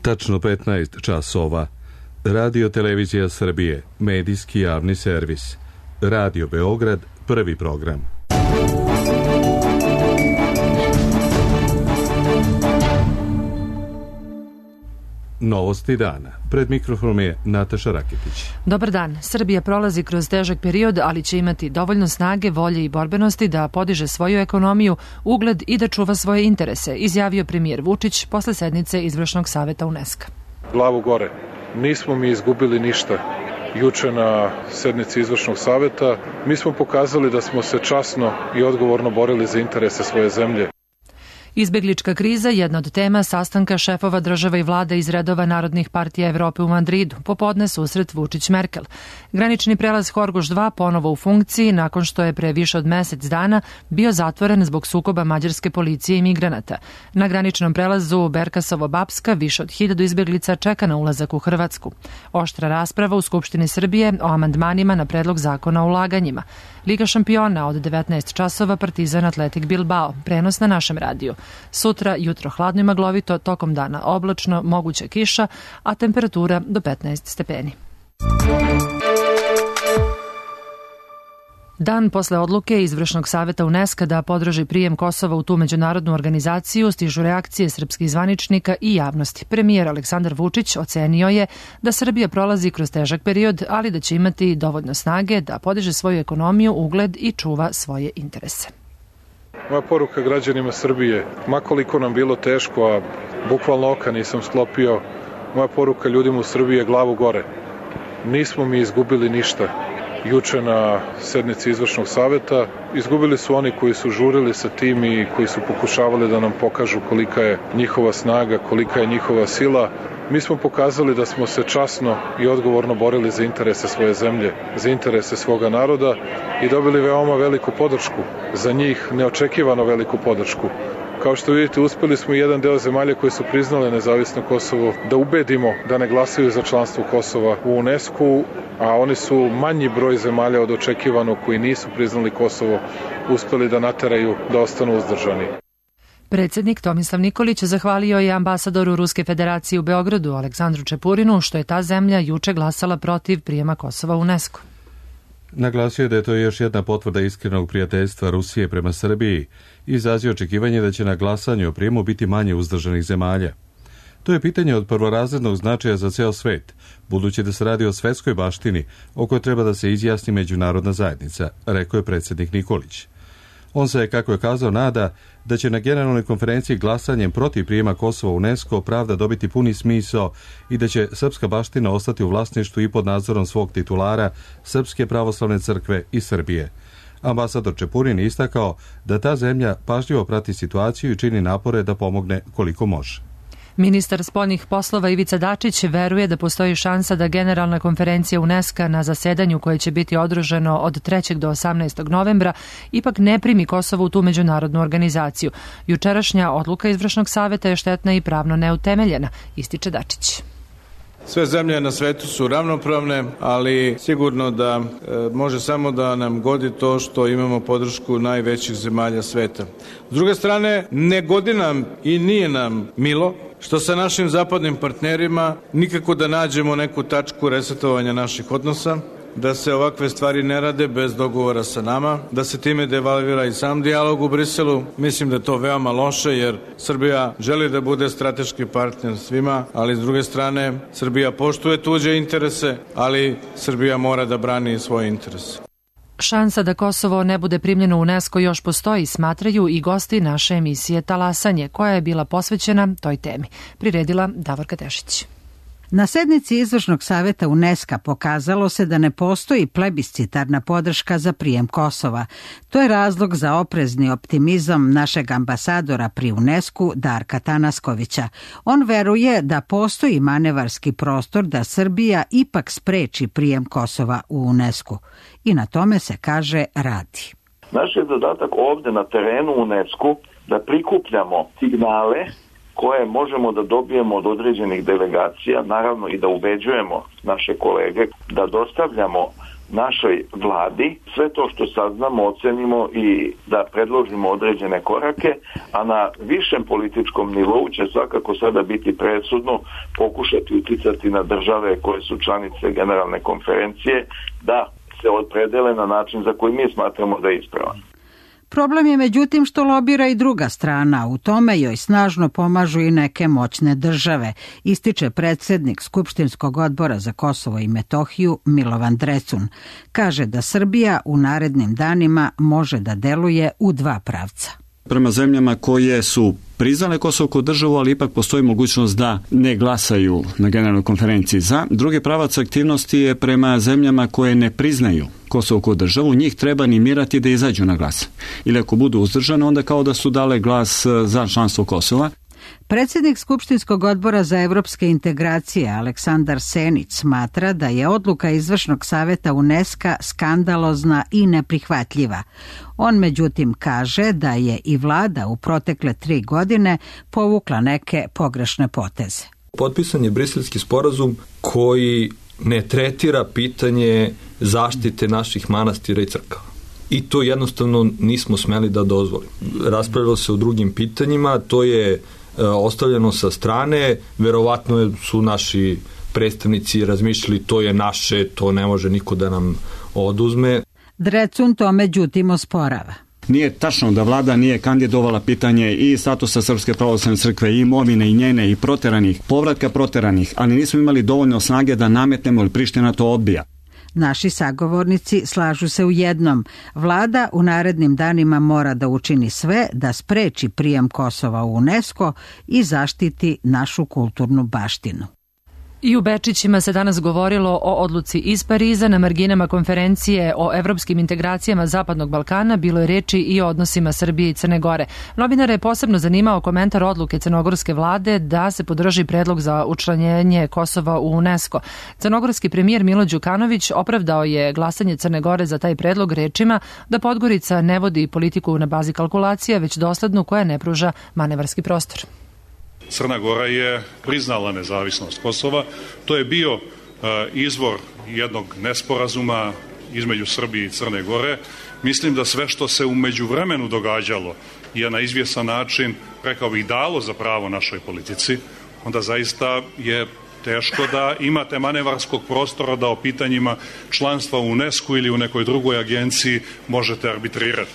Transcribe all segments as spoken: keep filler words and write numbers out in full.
Tačno petnaest časova. Radio Televizija Srbije, medijski javni servis. Radio Beograd, prvi program. Novosti dana. Pred mikrofonom je Nataša Raketić. Dobar dan. Srbija prolazi kroz težak period, ali će imati dovoljno snage, volje i borbenosti da podiže svoju ekonomiju, ugled i da čuva svoje interese, izjavio premijer Vučić posle sednice Izvršnog saveta UNESCO. Glavu gore. Nismo mi izgubili ništa. Juče na sednici Izvršnog saveta mi smo pokazali da smo se časno i odgovorno borili za interese svoje zemlje. Izbeglička kriza je jedna od tema sastanka šefova država i vlada iz redova Narodnih partija Evrope u Madridu. Popodne susret Vučić-Merkel. Granični prelaz Horgoš dva ponovo u funkciji nakon što je pre više od mesec dana bio zatvoren zbog sukoba mađarske policije i migranata. Na graničnom prelazu Berkasovo-Bapska više od hiljadu izbeglica čeka na ulazak u Hrvatsku. Oštra rasprava u Skupštini Srbije o amandmanima na predlog zakona o ulaganjima. Liga šampiona od devetnaest časova, Partizan Atletik Bilbao. Prenos na našem radiju. Sutra jutro hladno i maglovito, tokom dana oblačno, moguća kiša, a temperatura do petnaest stepeni. Dan posle odluke Izvršnog saveta UNESCO da podrži prijem Kosova u tu međunarodnu organizaciju stižu reakcije srpskih zvaničnika i javnosti. Premijer Aleksandar Vučić ocenio je da Srbija prolazi kroz težak period, ali da će imati dovoljno snage da podiže svoju ekonomiju, ugled i čuva svoje interese. Moja poruka građanima Srbije, makoliko nam bilo teško, a bukvalno oka nisam sklopio, moja poruka ljudima u Srbiji je glavu gore. Nismo mi izgubili ništa. Juče na sednici Izvršnog saveta izgubili su oni koji su žurili sa tim i koji su pokušavali da nam pokažu kolika je njihova snaga, kolika je njihova sila. Mi smo pokazali da smo se časno i odgovorno borili za interese svoje zemlje, za interese svoga naroda i dobili veoma veliku podršku, za njih neočekivano veliku podršku. Kao što vidite, uspeli smo i jedan deo zemalja koje su priznale nezavisno Kosovo da ubedimo da ne glasaju za članstvo Kosova u UNESCO, a oni su manji broj zemalja od očekivanog koji nisu priznali Kosovo uspeli da nateraju da ostanu uzdržani. Predsjednik Tomislav Nikolić zahvalio je ambasadoru Ruske federacije u Beogradu Aleksandru Čepurinu što je ta zemlja juče glasala protiv prijema Kosova u UNESCO. Naglasio je da je to još jedna potvrda iskrenog prijateljstva Rusije prema Srbiji i izrazio očekivanje da će na glasanju o prijemu biti manje uzdržanih zemalja. To je pitanje od prvorazrednog značaja za ceo svet, budući da se radi o svetskoj baštini o kojoj treba da se izjasni međunarodna zajednica, rekao je predsjednik Nikolić. On se, kako je kazao, nada da će na generalnoj konferenciji glasanjem protiv prijema Kosova u UNESCO pravda dobiti puni smisao i da će srpska baština ostati u vlasništvu i pod nadzorom svog titulara Srpske pravoslavne crkve i Srbije. Ambasador Čepurin istakao da ta zemlja pažljivo prati situaciju i čini napore da pomogne koliko može. Ministar spoljnih poslova Ivica Dačić veruje da postoji šansa da generalna konferencija UNESCO na zasedanju koje će biti održano od trećeg do osamnaestog novembra ipak ne primi Kosovo u tu međunarodnu organizaciju. Jučerašnja odluka Izvršnog saveta je štetna i pravno neutemeljena, ističe Dačić. Sve zemlje na svetu su ravnopravne, ali sigurno da e, može samo da nam godi to što imamo podršku najvećih zemalja sveta. S druge strane, ne godi nam i nije nam milo što sa našim zapadnim partnerima nikako da nađemo neku tačku resetovanja naših odnosa, da se ovakve stvari ne rade bez dogovora sa nama, da se time devalvira i sam dijalog u Briselu. Mislim da je to veoma loše jer Srbija želi da bude strateški partner svima, ali s druge strane Srbija poštuje tuđe interese, ali Srbija mora da brani svoje interese. Šansa da Kosovo ne bude primljeno u UNESCO još postoji, smatraju i gosti naše emisije Talasanje, koja je bila posvećena toj temi. Priredila Davorka Tešić. Na sednici Izvršnog saveta UNESCO pokazalo se da ne postoji plebiscitarna podrška za prijem Kosova. To je razlog za oprezni optimizam našeg ambasadora pri UNESCO Darka Tanaskovića. On veruje da postoji manevarski prostor da Srbija ipak spreči prijem Kosova u UNESCO. I na tome se, kaže, radi. Naš je zadatak ovde na terenu UNESCO da prikupljamo signale koje možemo da dobijemo od određenih delegacija, naravno i da ubeđujemo naše kolege da dostavljamo našoj vladi, sve to što saznamo ocenimo i da predložimo određene korake, a na višem političkom nivou će svakako sada biti presudno pokušati uticati na države koje su članice generalne konferencije da se opredele na način za koji mi smatramo da je ispravan. Problem je međutim što lobira i druga strana, u tome joj snažno pomažu i neke moćne države, ističe predsjednik Skupštinskog odbora za Kosovo i Metohiju Milovan Drecun. Kaže da Srbija u narednim danima može da deluje u dva pravca. Prema zemljama koje su priznale Kosovo kao državu, ali ipak postoji mogućnost da ne glasaju na generalnoj konferenciji za. Drugi pravac aktivnosti je prema zemljama koje ne priznaju Kosovo kao državu, njih treba animirati da izađu na glas. Ili ako budu uzdržane, onda kao da su dale glas za članstvo Kosova. Predsjednik Skupštinskog odbora za evropske integracije Aleksandar Senić smatra da je odluka Izvršnog saveta UNESCO skandalozna i neprihvatljiva. On međutim kaže da je i vlada u protekle tri godine povukla neke pogrešne poteze. Potpisan je Briselski sporazum koji ne tretira pitanje zaštite naših manastira i crkava. I to jednostavno nismo smeli da dozvolimo. Raspravljalo se o drugim pitanjima, to je ostavljeno sa strane, verovatno su naši predstavnici razmišljali to je naše, to ne može niko da nam oduzme. Drecun to međutim osporava. Nije tačno da vlada nije kandidovala pitanje i statusa Srpske pravoslavne crkve, i imovine i njene i proteranih, povratka proteranih, ali nismo imali dovoljno snage da nametnemo ili Priština to odbija. Naši sagovornici slažu se u jednom. Vlada u narednim danima mora da učini sve da spreči prijem Kosova u UNESCO i zaštiti našu kulturnu baštinu. I u Bečićima se danas govorilo o odluci iz Pariza. Na marginama konferencije o evropskim integracijama Zapadnog Balkana bilo je reči i o odnosima Srbije i Crne Gore. Novinare je posebno zanimao komentar odluke crnogorske vlade da se podrži predlog za učlanjenje Kosova u UNESCO. Crnogorski premijer Milo Đukanović opravdao je glasanje Crne Gore za taj predlog rečima da Podgorica ne vodi politiku na bazi kalkulacija, već doslednu koja ne pruža manevarski prostor. Crna Gora je priznala nezavisnost Kosova. To je bio uh, izvor jednog nesporazuma između Srbije i Crne Gore. Mislim da sve što se u međuvremenu događalo je na izvjesan način, rekao bih, dalo za pravo našoj politici. Onda zaista je teško da imate manevarskog prostora da o pitanjima članstva u UNESCO ili u nekoj drugoj agenciji možete arbitrirati.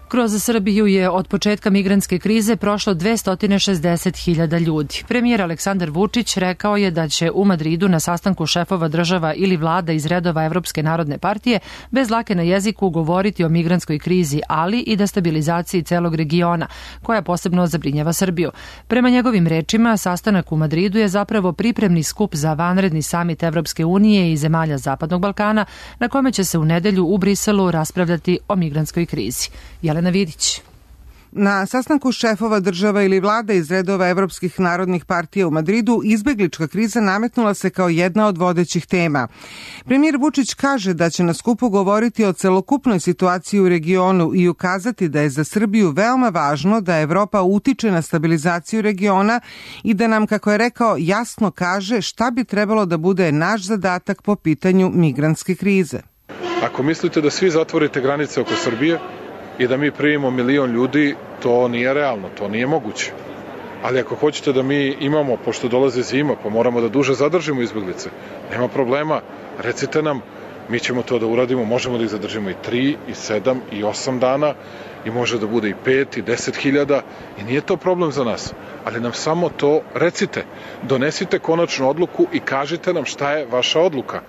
Kroz Srbiju je od početka migrantske krize prošlo dvesta šezdeset hiljada ljudi. Premijer Aleksandar Vučić rekao je da će u Madridu na sastanku šefova država ili vlada iz redova Evropske narodne partije bez lake na jeziku govoriti o migrantskoj krizi, ali i da stabilizaciji celog regiona, koja posebno zabrinjava Srbiju. Prema njegovim rečima, sastanak u Madridu je zapravo pripremni skup za vanredni samit Evropske unije i zemalja Zapadnog Balkana, na kome će se u nedelju u Briselu raspravljati o migrantskoj krizi. Jelena Vidić. Na sastanku šefova država ili vlada iz redova evropskih narodnih partija u Madridu izbeglička kriza nametnula se kao jedna od vodećih tema. Premijer Vučić kaže da će na skupu govoriti o celokupnoj situaciji u regionu i ukazati da je za Srbiju veoma važno da Evropa utiče na stabilizaciju regiona i da nam, kako je rekao, jasno kaže šta bi trebalo da bude naš zadatak po pitanju migrantske krize. Ako mislite da svi zatvorite granice oko Srbije i da mi primimo milion ljudi, to nije realno, to nije moguće. Ali ako hoćete da mi imamo, pošto dolaze zima, pa moramo da duže zadržimo izbeglice, nema problema, recite nam, mi ćemo to da uradimo, možemo da ih zadržimo i tri, i sedam, i osam dana, i može da bude i pet, i deset hiljada, i nije to problem za nas. Ali nam samo to recite, donesite konačnu odluku i kažite nam šta je vaša odluka.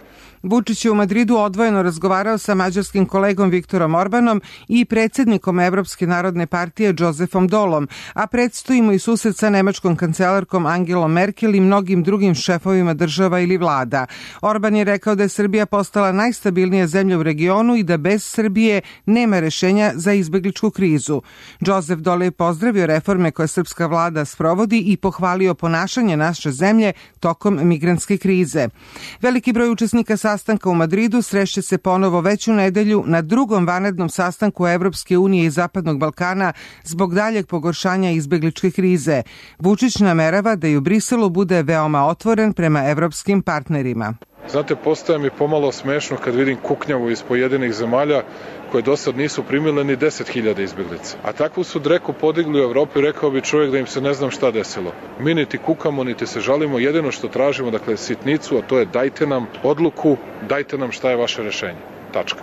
Vučić je u Madridu odvojeno razgovarao sa mađarskim kolegom Viktorom Orbanom i predsjednikom Evropske narodne partije Josefom Dolom, a predstoji mu i susret sa nemačkom kancelarkom Angelom Merkel i mnogim drugim šefovima država ili vlada. Orban je rekao da je Srbija postala najstabilnija zemlja u regionu i da bez Srbije nema rešenja za izbegličku krizu. Josef Dol je pozdravio reforme koje srpska vlada sprovodi i pohvalio ponašanje naše zemlje tokom migrantske krize. Veliki broj učesnika sastanka u Madridu srešće se ponovo već u nedelju na drugom vanrednom sastanku Evropske unije i Zapadnog Balkana zbog daljeg pogoršanja izbegličke krize. Vučić namerava da i u Briselu bude veoma otvoren prema evropskim partnerima. Znate, postaje mi pomalo smešno kad vidim kuknjavu iz pojedinih zemalja koje do sad nisu primile ni deset hiljada izbeglica. A takvu su dreku podigli u Evropi, rekao bi čovjek da im se ne znam šta desilo. Mi niti kukamo, niti se žalimo, jedino što tražimo, dakle, sitnicu, a to je dajte nam odluku, dajte nam šta je vaše rešenje. Tačka.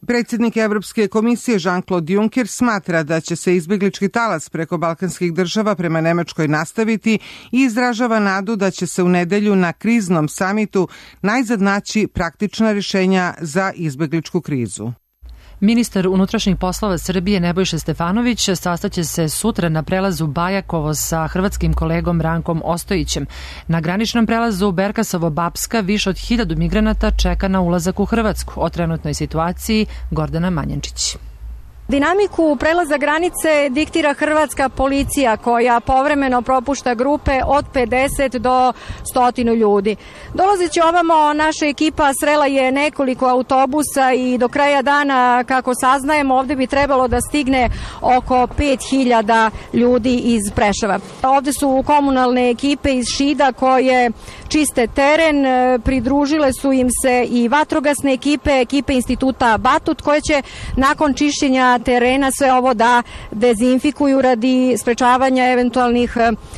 Predsjednik Evropske komisije Jean-Claude Juncker smatra da će se izbeglički talas preko balkanskih država prema Nemačkoj nastaviti i izražava nadu da će se u nedelju na kriznom samitu najzad naći praktična rješenja za izbegličku krizu. Ministar unutrašnjih poslova Srbije Nebojša Stefanović sastaće se sutra na prelazu Bajakovo sa hrvatskim kolegom Rankom Ostojićem. Na graničnom prelazu Berkasovo-Bapska više od hiljadu migranata čeka na ulazak u Hrvatsku. O trenutnoj situaciji Gordana Manjančić. Dinamiku prelaza granice diktira hrvatska policija koja povremeno propušta grupe od pedeset do sto ljudi. Dolazeći ovamo, naša ekipa srela je nekoliko autobusa i do kraja dana, kako saznajemo, ovde bi trebalo da stigne oko pet hiljada ljudi iz Preševa. Ovde su komunalne ekipe iz Šida koje čiste teren, pridružile su im se i vatrogasne ekipe, ekipe instituta Batut koje će nakon čišćenja terena sve ovo da dezinfikuju radi sprečavanja eventualnih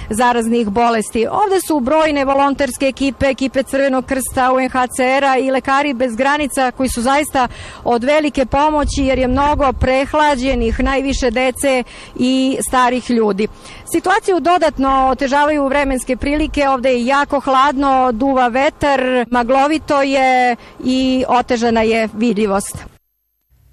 zaraznih bolesti. Ovde su brojne volonterske ekipe, ekipe Crvenog krsta, U N H C R-a i lekari bez granica koji su zaista od velike pomoći jer je mnogo prehlađenih, najviše dece i starih ljudi. Situaciju dodatno otežavaju vremenske prilike, ovde je jako hladno, duva vetar, maglovito je i otežana je vidljivost.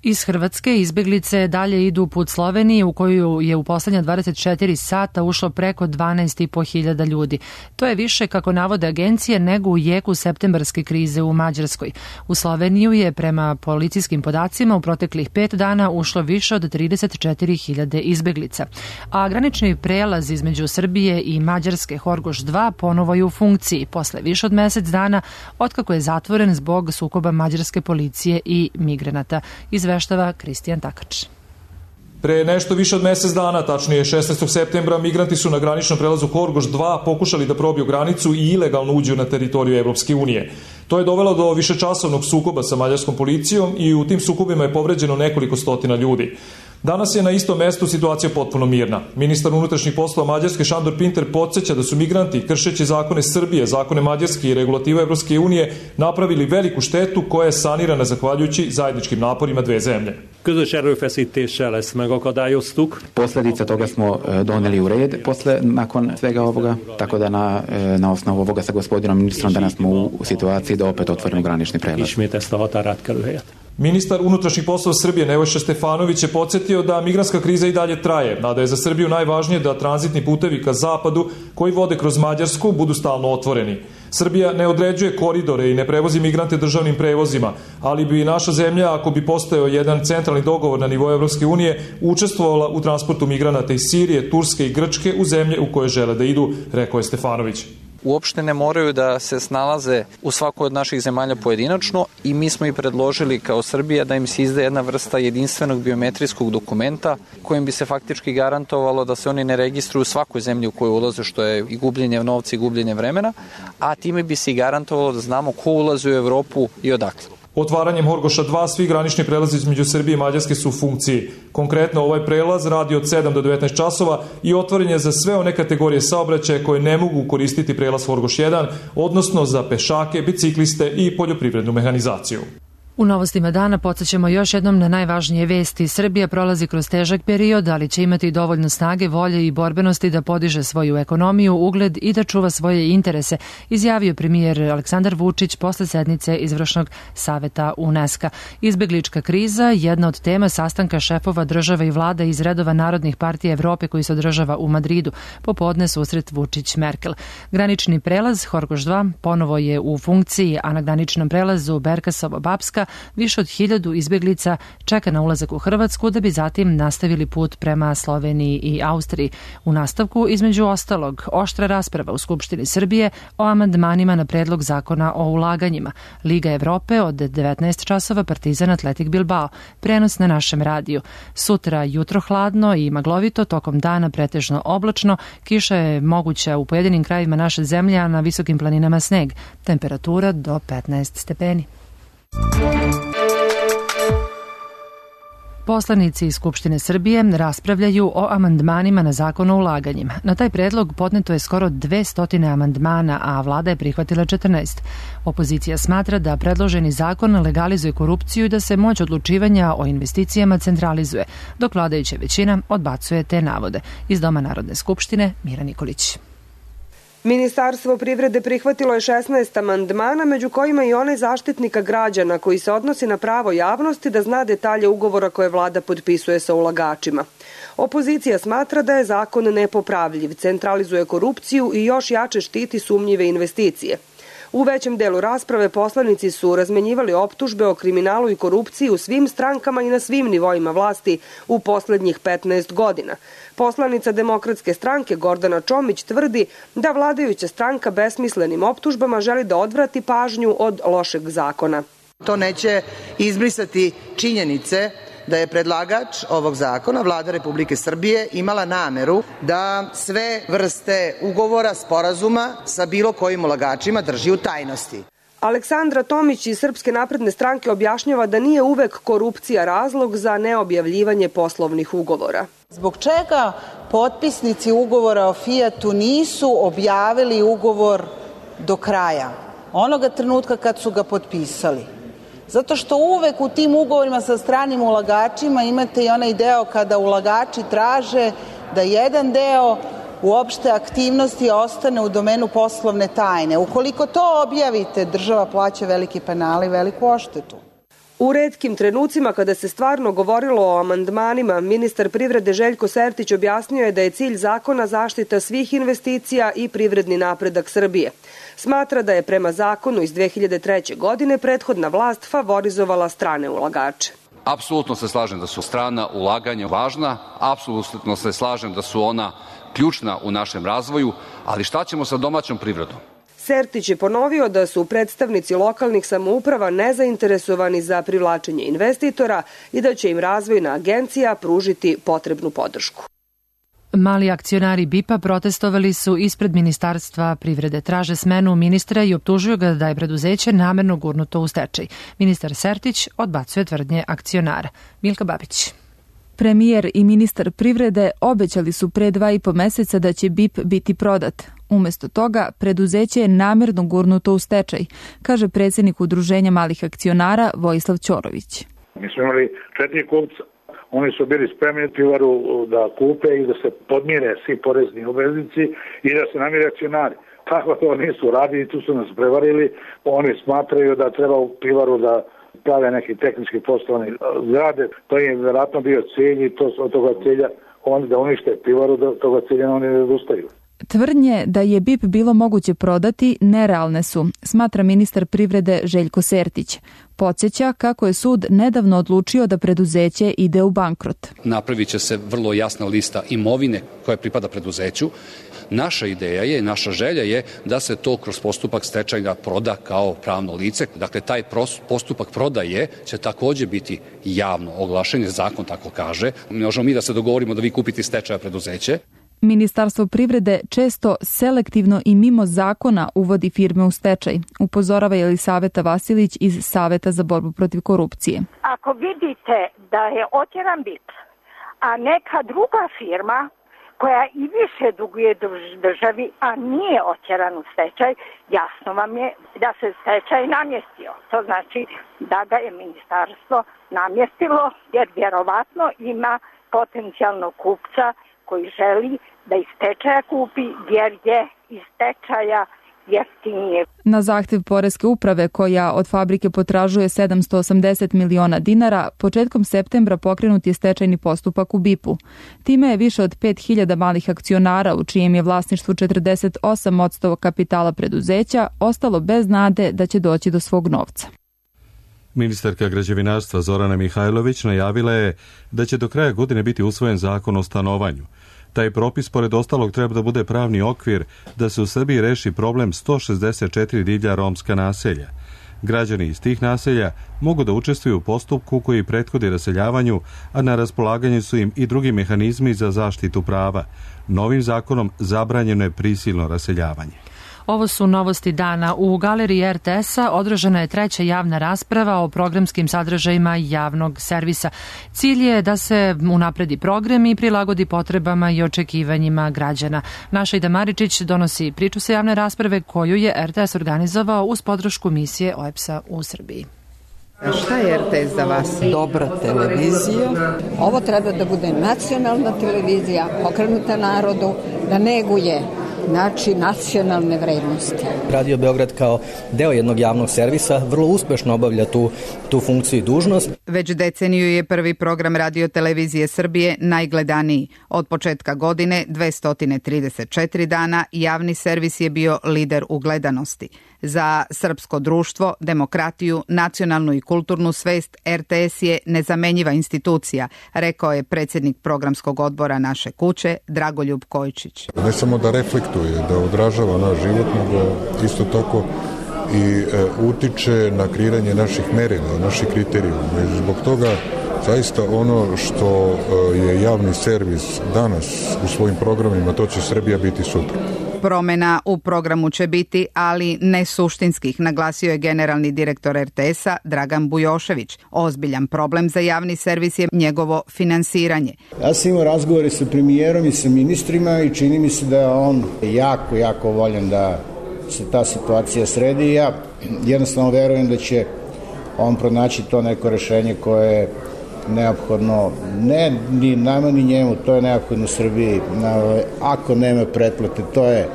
Iz Hrvatske izbeglice dalje idu put Slovenije u koju je u poslednja dvadeset četiri sata ušlo preko dvanaest i po hiljada ljudi. To je više, kako navode agencije, nego u jeku septembarske krize u Mađarskoj. U Sloveniju je prema policijskim podacima u proteklih pet dana ušlo više od trideset četiri hiljade izbeglica. A granični prelaz između Srbije i Mađarske Horgoš dva ponovo je u funkciji posle više od mesec dana otkako je zatvoren zbog sukoba mađarske policije i migranata. Izveštava Kristijan Takač. Pre nešto više od mesec dana, tačnije šesnaestog septembra, migranti su na graničnom prelazu Horgoš dva pokušali da probiju granicu i ilegalno uđu na teritoriju Evropske unije. To je dovelo do višečasovnog sukoba sa mađarskom policijom i u tim sukobima je povređeno nekoliko stotina ljudi. Danas je na istom mestu situacija potpuno mirna. Ministar unutrašnjih poslova Mađarske Šandor Pinter podsjeća da su migranti, kršeći zakone Srbije, zakone Mađarske i regulative Evropske unije, napravili veliku štetu koja je sanirana zahvaljujući zajedničkim naporima dve zemlje. Közös erőfeszítéssel ezt megakadályoztuk. Posledice toga smo doneli u red posle, nakon svega ovoga, tako da na, na osnovu ovoga sa gospodinom ministrom danas smo u situaciji da opet otvorimo granični prelaz. Ismét ezt a határátkelőhelyet. Ministar unutrašnjih poslova Srbije Nebojša Stefanović je podsjetio da migrantska kriza i dalje traje, a da je za Srbiju najvažnije da tranzitni putevi ka zapadu koji vode kroz Mađarsku budu stalno otvoreni. Srbija ne određuje koridore i ne prevozi migrante državnim prevozima, ali bi naša zemlja, ako bi postojao jedan centralni dogovor na nivou Evropske unije, učestvovala u transportu migranata iz Sirije, Turske i Grčke u zemlje u koje žele da idu, rekao je Stefanović. Uopšte ne moraju da se snalaze u svakoj od naših zemalja pojedinačno i mi smo i predložili kao Srbija da im se izda jedna vrsta jedinstvenog biometrijskog dokumenta kojim bi se faktički garantovalo da se oni ne registruju u svakoj zemlji u koju ulaze, što je i gubljenje novca i gubljenje vremena, a time bi se i garantovalo da znamo ko ulazi u Evropu i odakle. Otvaranjem Horgoša dva svi granični prelazi između Srbije i Mađarske su u funkciji. Konkretno ovaj prelaz radi od sedam do devetnaest časova i otvoren je za sve one kategorije saobraćaja koje ne mogu koristiti prelaz Horgoš jedan, odnosno za pešake, bicikliste i poljoprivrednu mehanizaciju. U novostima dana podsjećamo još jednom na najvažnije vesti. Srbija prolazi kroz težak period, ali će imati dovoljno snage, volje i borbenosti da podiže svoju ekonomiju, ugled i da čuva svoje interese, izjavio premijer Aleksandar Vučić posle sednice Izvršnog saveta UNESCO. Izbeglička kriza, jedna od tema sastanka šefova država i vlada iz redova narodnih partija Evrope koji se održava u Madridu. Popodne susret Vučić-Merkel. Granični prelaz Horgoš dva ponovo je u funkciji, a na graničnom prelazu Berkasovo-Bapska Više od hiljadu izbjeglica čeka na ulazak u Hrvatsku da bi zatim nastavili put prema Sloveniji i Austriji. U nastavku, između ostalog, oštra rasprava u Skupštini Srbije o amandmanima na predlog zakona o ulaganjima. Liga Evrope od devetnaest časova, Partizan Atletik Bilbao. Prenos na našem radiju. Sutra jutro hladno i maglovito, tokom dana pretežno oblačno, kiša je moguća u pojedinim krajevima naše zemlje, a na visokim planinama sneg. Temperatura do petnaest stepeni. Poslanici iz Skupštine Srbije raspravljaju o amandmanima na zakon o ulaganjima. Na taj predlog podneto je skoro dvesta amandmana, a vlada je prihvatila četrnaest. Opozicija smatra da predloženi zakon legalizuje korupciju i da se moć odlučivanja o investicijama centralizuje, dok vladajuća većina odbacuje te navode. Iz Doma Narodne skupštine, Mira Nikolić. Ministarstvo privrede prihvatilo je šesnaest amandmana, među kojima i onaj Zaštitnika građana koji se odnosi na pravo javnosti da zna detalje ugovora koje vlada potpisuje sa ulagačima. Opozicija smatra da je zakon nepopravljiv, centralizuje korupciju i još jače štiti sumnjive investicije. U većem delu rasprave poslanici su razmenjivali optužbe o kriminalu i korupciji u svim strankama i na svim nivoima vlasti u poslednjih petnaest godina. Poslanica Demokratske stranke Gordana Čomić tvrdi da vladajuća stranka besmislenim optužbama želi da odvrati pažnju od lošeg zakona. To neće izbrisati činjenice da je predlagač ovog zakona, Vlada Republike Srbije, imala nameru da sve vrste ugovora, sporazuma sa bilo kojim ulagačima drži u tajnosti. Aleksandra Tomić iz Srpske napredne stranke objašnjava da nije uvek korupcija razlog za neobjavljivanje poslovnih ugovora. Zbog čega potpisnici ugovora o Fijatu nisu objavili ugovor do kraja, onoga trenutka kad su ga potpisali? Zato što uvek u tim ugovorima sa stranim ulagačima imate i onaj deo kada ulagači traže da jedan deo uopšte aktivnosti ostane u domenu poslovne tajne. Ukoliko to objavite, država plaća veliki penal i veliku odštetu. U retkim trenucima kada se stvarno govorilo o amandmanima, ministar privrede Željko Sertić objasnio je da je cilj zakona zaštita svih investicija i privredni napredak Srbije. Smatra da je prema zakonu iz dve hiljade treće. godine prethodna vlast favorizovala strane ulagače. Apsolutno se slažem da su strana ulaganja važna, apsolutno se slažem da su ona ključna u našem razvoju, ali šta ćemo sa domaćom privredom? Sertić je ponovio da su predstavnici lokalnih samouprava nezainteresovani za privlačenje investitora i da će im razvojna agencija pružiti potrebnu podršku. Mali akcionari B I P-a protestovali su ispred Ministarstva privrede. Traže smenu ministra i optužuju ga da je preduzeće namerno gurnuto u stečaj. Ministar Sertić odbacuje tvrdnje akcionara. Milka Babić. Premijer i ministar privrede obećali su pre dva i po meseca da će B I P biti prodat. Umesto toga, preduzeće je namerno gurnuto u stečaj, kaže predsjednik Udruženja malih akcionara Vojislav Ćorović. Mi smo imali četiri kupca. Oni su bili spremni pivaru da kupe i da se podmire svi porezni obveznici i da se namire akcionari. Tako to nisu radili, tu su nas prevarili. Oni smatraju da treba u pivaru da prave neki tehnički poslovni zgrade. To je vjerojatno bio cilj i to, od toga cilja oni da unište pivaru, da toga cilja oni ne odustaju. Tvrdnje da je B I P bilo moguće prodati nerealne su, smatra ministar privrede Željko Sertić. Podsjeća kako je sud nedavno odlučio da preduzeće ide u bankrot. Napravit će se vrlo jasna lista imovine koja pripada preduzeću. Naša ideja je, naša želja je da se to kroz postupak stečaja proda kao pravno lice. Dakle, taj postupak prodaje će također biti javno oglašen, jer zakon tako kaže. Ne možemo mi da se dogovorimo da vi kupite stečaja preduzeće. Ministarstvo privrede često selektivno i mimo zakona uvodi firme u stečaj, upozorava Jelisaveta Vasilić iz Saveta za borbu protiv korupcije. Ako vidite da je otjeran B I P, a neka druga firma koja i više duguje državi, a nije otjeran u stečaj, jasno vam je da se stečaj namjestio. To znači da ga je ministarstvo namjestilo, jer vjerovatno ima potencijalnog kupca koji želi da iz stečaja kupi, jer je iz stečaja jeftinije. Na zahtjev Poreske uprave, koja od fabrike potražuje sedamsto osamdeset miliona dinara, početkom septembra pokrenut je stečajni postupak u B I P-u. Time je više od pet hiljada malih akcionara, u čijem je vlasništvu četrdeset osam posto kapitala preduzeća, ostalo bez nade da će doći do svog novca. Ministarka građevinarstva Zorana Mihajlović najavila je da će do kraja godine biti usvojen zakon o stanovanju. Taj propis, pored ostalog, treba da bude pravni okvir da se u Srbiji reši problem sto šezdeset četiri divlja romska naselja. Građani iz tih naselja mogu da učestvuju u postupku koji prethodi raseljavanju, a na raspolaganju su im i drugi mehanizmi za zaštitu prava. Novim zakonom zabranjeno je prisilno raseljavanje. Ovo su novosti dana. U galeriji er te es-a održana je treća javna rasprava o programskim sadržajima javnog servisa. Cilj je da se unapredi program i prilagodi potrebama i očekivanjima građana. Naša Ida Maričić donosi priču sa javne rasprave koju je er te es organizovao uz podršku misije o e pe es-a u Srbiji. A šta je er te es za vas? Dobra televizija. Ovo treba da bude nacionalna televizija, okrenuta narodu, da neguje znači nacionalne vrednosti. Radio Beograd kao deo jednog javnog servisa vrlo uspešno obavlja tu, tu funkciju i dužnost. Već deceniju je prvi program Radio televizije Srbije najgledaniji. Od početka godine, dvesta trideset četiri dana, javni servis je bio lider u gledanosti. Za srpsko društvo, demokratiju, nacionalnu i kulturnu svest er te es je nezamenjiva institucija, rekao je predsjednik programskog odbora Naše kuće, Dragoljub Kojičić. Ne samo da reflektuje, da odražava naš život, nego isto tako i e, utiče na kreiranje naših merila, naših kriterijuma. I zbog toga zaista ono što e, je javni servis danas u svojim programima, to će Srbija biti sutra. Promjena u programu će biti, ali ne suštinskih, naglasio je generalni direktor er te es-a Dragan Bujošević. Ozbiljan problem za javni servis je njegovo finansiranje. Ja sam imao razgovore sa premijerom i sa ministrima i čini mi se da je on jako, jako voljan da se ta situacija sredi i ja jednostavno verujem da će on pronaći to neko rešenje koje je neophodno, ne ni nama ni njemu, to je neophodno Srbiji. Ako nema pretplate, to je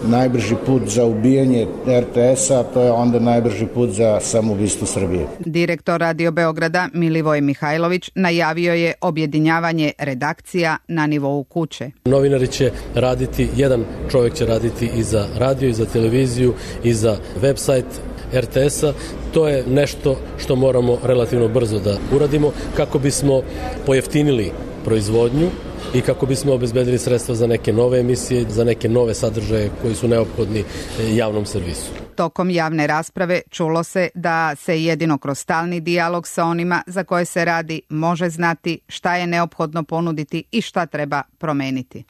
najbrži put za ubijanje er te es-a, to je onda najbrži put za samoubistvo Srbije. Direktor Radio Beograda Milivoj Mihajlović najavio je objedinjavanje redakcija na nivou kuće. Novinari će raditi, jedan čovjek će raditi i za radio, i za televiziju, i za website er te es-a. To je nešto što moramo relativno brzo da uradimo kako bismo pojeftinili proizvodnju i kako bismo obezbedili sredstva za neke nove emisije, za neke nove sadržaje koji su neophodni javnom servisu. Tokom javne rasprave čulo se da se jedino kroz stalni dijalog sa onima za koje se radi može znati šta je neophodno ponuditi i šta treba promeniti.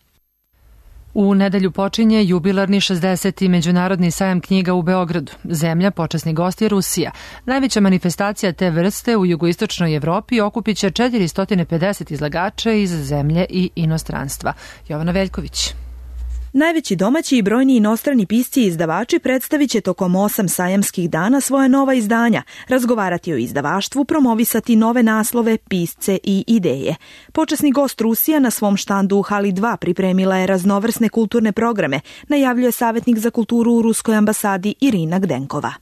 U nedelju počinje jubilarni šezdeseti Međunarodni sajam knjiga u Beogradu. Zemlja, počasni gost je Rusija. Najveća manifestacija te vrste u jugoistočnoj Evropi okupit će četiristo pedeset izlagača iz zemlje i inostranstva. Jovana Veljković. Najveći domaći i brojni inostrani pisci i izdavači predstavit će tokom osam sajamskih dana svoje nova izdanja, razgovarati o izdavaštvu, promovisati nove naslove, pisce i ideje. Počasni gost Rusija na svom štandu u hali dva pripremila je raznovrsne kulturne programe, najavljuje savjetnik za kulturu u Ruskoj ambasadi Irina Gdenkova.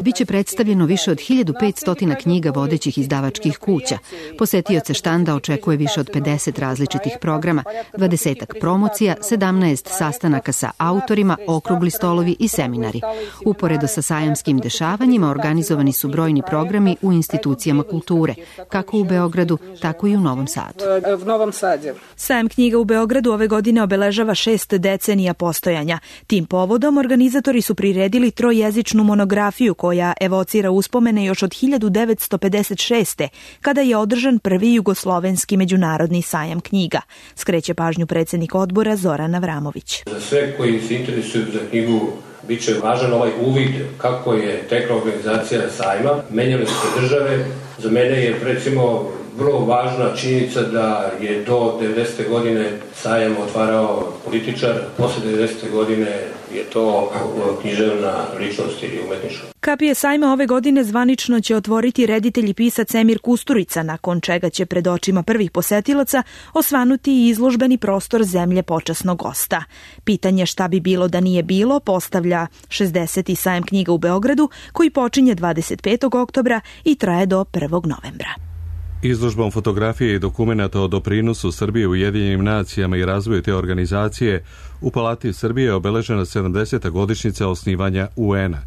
Biće predstavljeno više od hiljadu petsto knjiga vodećih izdavačkih kuća. Posetioce štanda očekuje više od pedeset različitih programa, dvadesetak promocija, sedamnaest sastanaka sa autorima, okrugli stolovi i seminari. Uporedo sa sajamskim dešavanjima organizovani su brojni programi u institucijama kulture, kako u Beogradu, tako i u Novom Sadu. Sajam knjiga u Beogradu ove godine obeležava šest decenija postojanja. Tim povodom organizatori su priredili trojezičnu monografiju koja evocira uspomene još od hiljadu devetsto pedeset šeste. kada je održan prvi jugoslovenski međunarodni sajam knjiga. Skreće pažnju predsjednik odbora Zoran Avramović. Za sve koji se interesuju za knjigu bit će važan ovaj uvid kako je tekla organizacija sajma. Menjale su države. Za mene je recimo vrlo važna činjenica da je do devedesete godine sajam otvarao političar, posle devedesete godine je to književna ličnost ili umetnička. Kapije sajma ove godine zvanično će otvoriti reditelj i pisac Emir Kusturica, nakon čega će pred očima prvih posetilaca osvanuti i izložbeni prostor zemlje počasnog gosta. Pitanje šta bi bilo da nije bilo postavlja šezdeseti sajam knjiga u Beogradu, koji počinje dvadeset petog oktobra i traje do prvog novembra. Izložbom fotografije i dokumenata o doprinosu Srbije u Ujedinjenim nacijama i razvoju te organizacije u Palati Srbije je obeležena sedamdeseta godišnjica osnivanja u en a.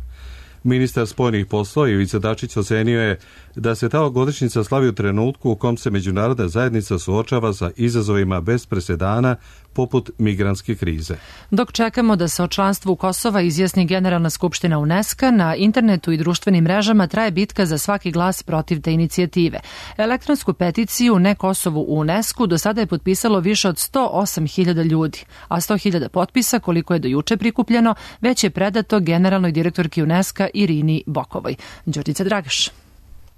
Ministar spoljnih poslova Ivica Dačić ocenio je da se ta godišnjica slavi u trenutku u kom se međunarodna zajednica suočava sa izazovima bez presedana poput migrantske krize. Dok čekamo da se o članstvu Kosova izjasni Generalna skupština UNESCO, na internetu i društvenim mrežama traje bitka za svaki glas protiv te inicijative. Elektronsku peticiju Ne Kosovu u UNESCO do sada je potpisalo više od sto osam hiljada ljudi, a sto hiljada potpisa, koliko je do juče prikupljeno, već je predato generalnoj direktorki UNESCO Irini Bokovoj. Đorđica Dragaš.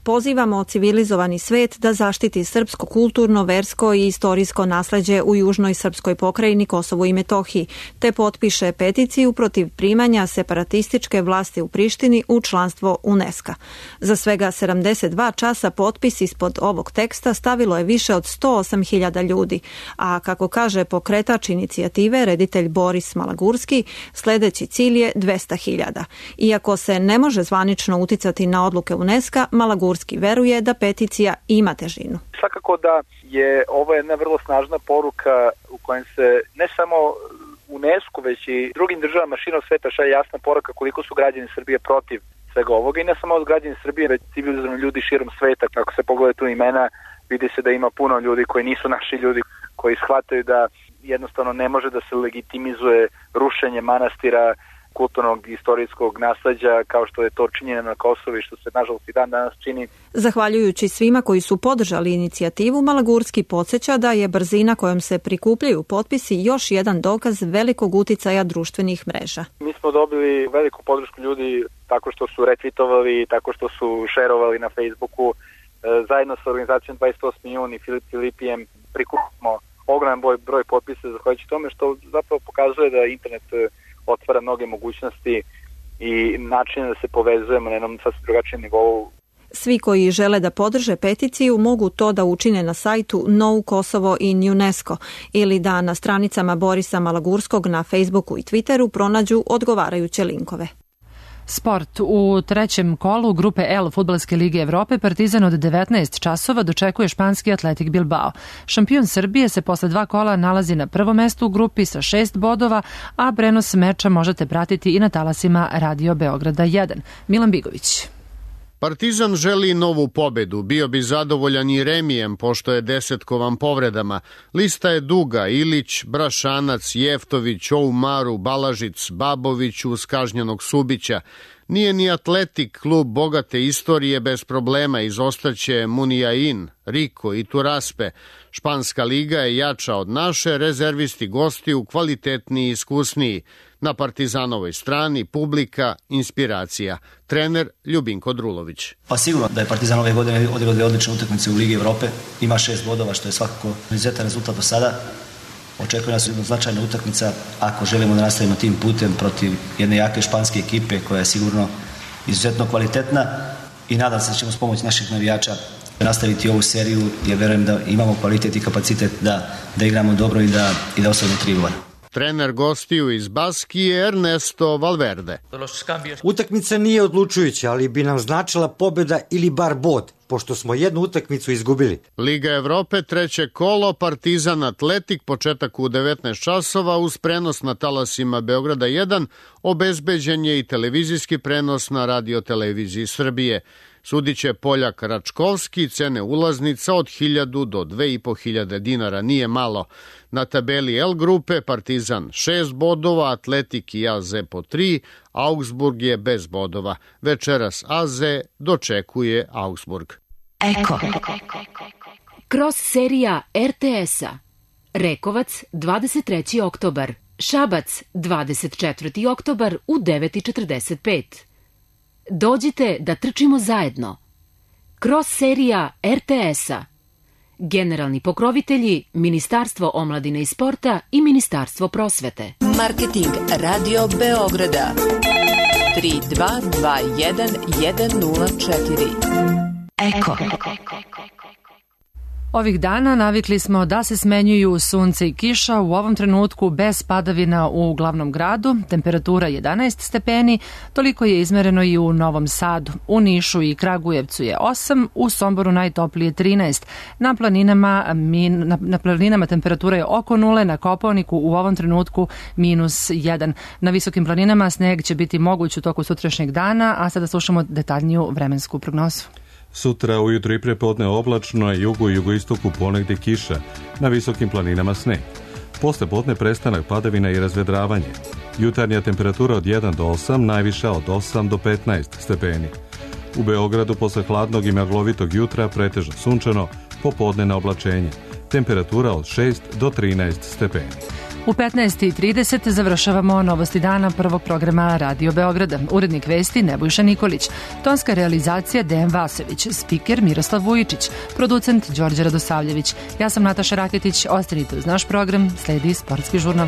Pozivamo civilizovani svet da zaštiti srpsko kulturno, versko i istorijsko nasleđe u južnoj srpskoj pokrajini Kosovu i Metohiji, te potpiše peticiju protiv primanja separatističke vlasti u Prištini u članstvo UNESCO. Za svega sedamdeset dva časa potpis ispod ovog teksta stavilo je više od sto osam hiljada ljudi, a kako kaže pokretač inicijative, reditelj Boris Malagurski, sledeći cilj je dvesta hiljada. Iako se ne može zvanično uticati na odluke UNESCO, Malagurski veruje da peticija ima težinu. Svakako da je ovo jedna vrlo snažna poruka u kojem se ne samo UNESCO, već i drugim državama širom sveta šalje jasna poruka koliko su građani Srbije protiv svega ovoga i ne samo od građani Srbije, već civilizovani ljudi širom sveta. Ako se pogleda tu imena, vidi se da ima puno ljudi koji nisu naši ljudi, koji shvataju da jednostavno ne može da se legitimizuje rušenje manastira, kulturnog i istorijskog nasleđa kao što je to činjeno na Kosovu i što se nažalost i dan danas čini. Zahvaljujući svima koji su podržali inicijativu, Malagurski podsjeća da je brzina kojom se prikupljaju potpisi još jedan dokaz velikog uticaja društvenih mreža. Mi smo dobili veliku podršku ljudi tako što su retvitovali, tako što su šerovali na Facebooku. Zajedno sa organizacijom dvadeset osmi jun i Filip Filipijem prikupimo ogroman broj, broj potpisa zahvaljujući tome što zapravo pokazuje da internet otvara mnoge mogućnosti i načine da se povezujemo na jednom sasvim drugačijem nivou. Svi koji žele da podrže peticiju mogu to da učine na sajtu No Kosovo in UNESCO ili da na stranicama Borisa Malagurskog na Facebooku i Twitteru pronađu odgovarajuće linkove. Sport. U trećem kolu grupe L Fudbalske lige Evrope Partizan od devetnaest časova dočekuje španski Atletik Bilbao. Šampion Srbije se posle dva kola nalazi na prvom mestu u grupi sa šest bodova, a prenos meča možete pratiti i na talasima Radio Beograda jedan. Milan Bigović. Partizan želi novu pobedu, bio bi zadovoljan i remijem pošto je desetkovan povredama. Lista je duga: Ilić, Brašanac, Jeftović, Oumaru, Balažic, Babović uz kažnjenog Subića. Nije ni Atletik klub bogate istorije bez problema, izostaće Muniain, Riko i Turaspe. Španska liga je jača od naše, rezervisti gostiju kvalitetniji i iskusniji. Na Partizanovoj strani publika, inspiracija. Trener Ljubinko Drulović. Pa sigurno da je Partizan ove godine odigrao dve odlične utakmice u Ligi Evrope. Ima šest bodova, što je svakako izuzetan rezultat do sada. Očekuje nas jedna značajna utakmica ako želimo da nastavimo tim putem protiv jedne jake španske ekipe koja je sigurno izuzetno kvalitetna i nadam se da ćemo s pomoć naših navijača nastaviti ovu seriju jer verujem da imamo kvalitet i kapacitet da, da igramo dobro i da, i da osvojimo tri boda. Trener gostiju iz Baskije Ernesto Valverde. Utakmica nije odlučujuća, ali bi nam značila pobjeda ili bar bod, pošto smo jednu utakmicu izgubili. Liga Evrope, treće kolo, Partizan Atletik, početak u devetnaest časova uz prenos na talasima Beograda jedan, obezbeđen je i televizijski prenos na radioteleviziji Srbije. Sudiće Poljak Račkovski, cene ulaznica od hiljadu do dve i po hiljade dinara, nije malo. Na tabeli L grupe Partizan šest bodova, Atletik i A Z po tri, Augsburg je bez bodova. Večeras A Z dočekuje Augsburg. Eko. Cross serija R T S-a. Rekovac dvadeset treći oktobar. Šabac dvadeset četvrti oktobar u devet i četrdeset pet. Dođite da trčimo zajedno. Cross serija R T S-a. Generalni pokrovitelji Ministarstvo omladine i sporta i Ministarstvo prosvete. Marketing Radio Beograda tri dva dva jedan jedan nula četiri. Eko. Ovih dana navikli smo da se smenjuju sunce i kiša, u ovom trenutku bez padavina u glavnom gradu, temperatura jedanaest stepeni, toliko je izmereno i u Novom Sadu. U Nišu i Kragujevcu je osam, u Somboru najtoplije trinaest. Na planinama, min, na, na planinama temperatura je oko nule, na Kopaoniku u ovom trenutku minus jedan. Na visokim planinama sneg će biti moguć u toku sutrašnjeg dana, a sada slušamo detaljniju vremensku prognozu. Sutra ujutro i prepodne oblačno, a jugu i jugoistoku ponegdje kiša, na visokim planinama sneg. Posle podne prestanak padavina i razvedravanje. Jutarnja temperatura od jedan do osam, najviša od osam do petnaest stepeni. U Beogradu posle hladnog i maglovitog jutra pretežno sunčano, popodne na oblačenje. Temperatura od šest do trinaest stepeni. U petnaest i trideset završavamo novosti dana prvog programa Radio Beograda. Urednik vesti Nebojša Nikolić, tonska realizacija Dejan Vasović, spiker Miroslav Vujičić, producent Đorđe Radosavljević. Ja sam Nataša Raketić, ostanite uz naš program, sledi sportski žurnal.